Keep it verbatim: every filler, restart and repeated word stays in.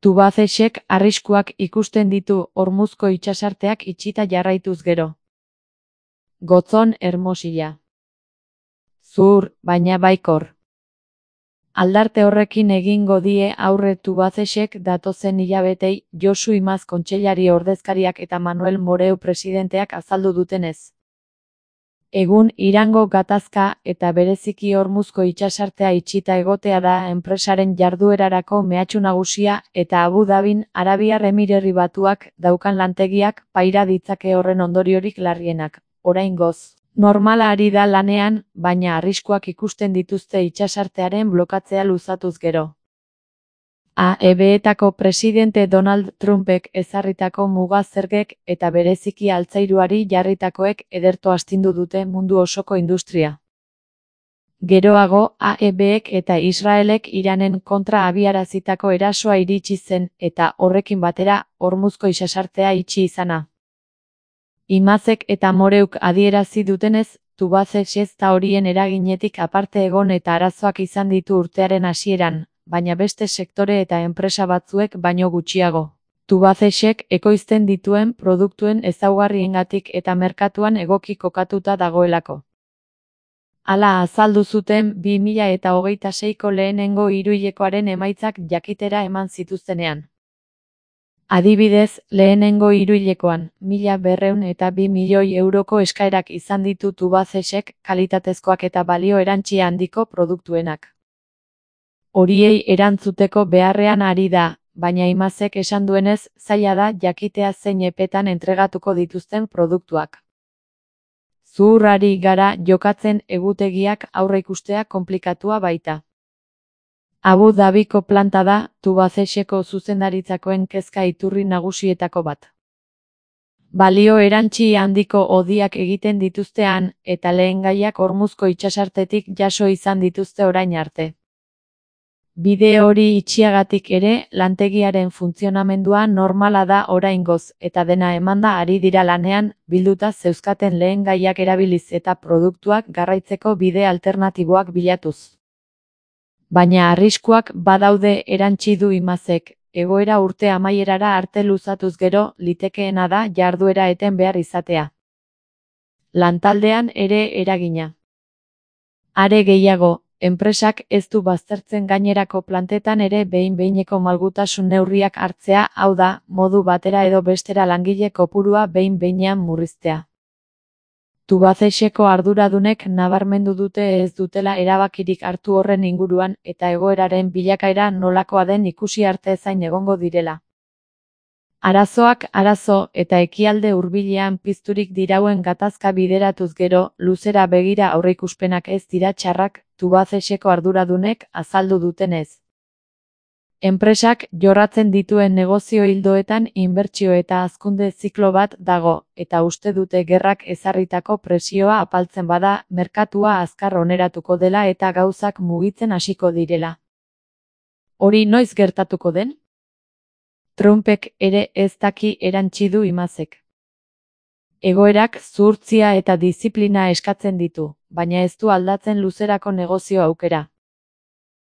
Tubacexek arriskuak ikusten ditu Hormuzko itsasarteak itxita jarraituz gero. Gotzon Hermosilla. Zuhur, baina baikor. Aldarte horrekin egingo die aurre Tubacexek datozen hilabetei, Josu Imaz kontseilari ordezkariak eta Manuel Moreu presidenteak azaldu dutenez. Egun Irango gatazka eta bereziki Hormuzko itsasartea itxita egotea da enpresaren jarduerarako mehatxu nagusia eta Abu Dhabin Arabiar Emirerri Batuak daukan lantegiak paira ditzake horren ondoriorik larrienak. Oraingoz, normala ari da lanean, baina arriskuak ikusten dituzte itsasartearen blokatzea luzatuz gero. A E B-etako presidente Donald Trumpek ezarritako muga zergek eta bereziki altzairuari jarritakoek ederto astindu dute mundu osoko industria. Geroago, A E B-ek eta Israelek Iranen kontra abiarazitako erasoa iritsi zen eta horrekin batera Hormuzko itsasartea itxi izana. Imazek eta Moreuk adierazi dutenez, Tubacex ez da horien eraginetik aparte egon eta arazoak izan ditu urtearen hasieran, baina beste sektore eta enpresa batzuek baino gutxiago. Tubacexek ekoizten dituen produktuen ezaugarriengatik eta merkatuan egoki kokatuta dagoelako. Hala azaldu zuten bi mila eta hogeita seiko lehenengo hiruhilekoaren emaitzak jakitera eman zituztenean. Adibidez, lehenengo hiruhilekoan, mila berrehun eta bi milioi euroko eskaerak izan ditu Tubacexek kalitatezkoak eta balio erantsi handiko produktuenak. Horiei erantzuteko beharrean ari da, baina Imazek esan duenez, zaila da jakitea zein epetan entregatuko dituzten produktuak. Zuhurrari gara jokatzen egutegiak aurreikustea konplikatua baita. Abu Dhabiko planta da, Tubacexeko zuzendaritzakoen kezka iturri nagusietako bat. Balio erantsi handiko hodiak egiten dituztean, eta lehengaiak Hormuzko itsasartetik jaso izan dituzte orain arte. Bide hori itxiagatik ere, lantegiaren funtzionamendua normala da oraingoz, eta dena emanda ari dira lanean, bilduta zeuzkaten lehengaiak erabiliz eta produktuak garraitzeko bide alternatiboak bilatuz. Baina arriskuak badaude erantsi du Imazek, egoera urte amaierara arte luzatuz gero, litekeena da jarduera eten behar izatea. Lantaldean ere eragina. Are gehiago, enpresak ez du baztertzen gainerako plantetan ere behin-behineko malgutasun neurriak hartzea, hau da, modu batera edo bestera langile kopurua behin-behinean murriztea. Tubacexeko arduradunek nabarmendu dute ez dutela erabakirik hartu horren inguruan eta egoeraren bilakaera nolakoa den ikusi arte zain egongo direla. Arazoak arazo eta ekialde hurbilean pizturik dirauen gatazka bideratuz gero, luzera begira aurreikuspenak ez dira txarrak, Tubacexeko arduradunek azaldu dutenez. Enpresak jorratzen dituen negozio ildoetan inbertsio eta hazkunde ziklo bat dago, eta uste dute gerrak ezarritako presioa apaltzen bada, merkatua azkar oneratuko dela eta gauzak mugitzen hasiko direla. Hori noiz gertatuko den? Trumpek ere ez daki erantsi du Imazek. Egoerak zuhurtzia eta diziplina eskatzen ditu, baina ez du aldatzen luzerako negozio aukera.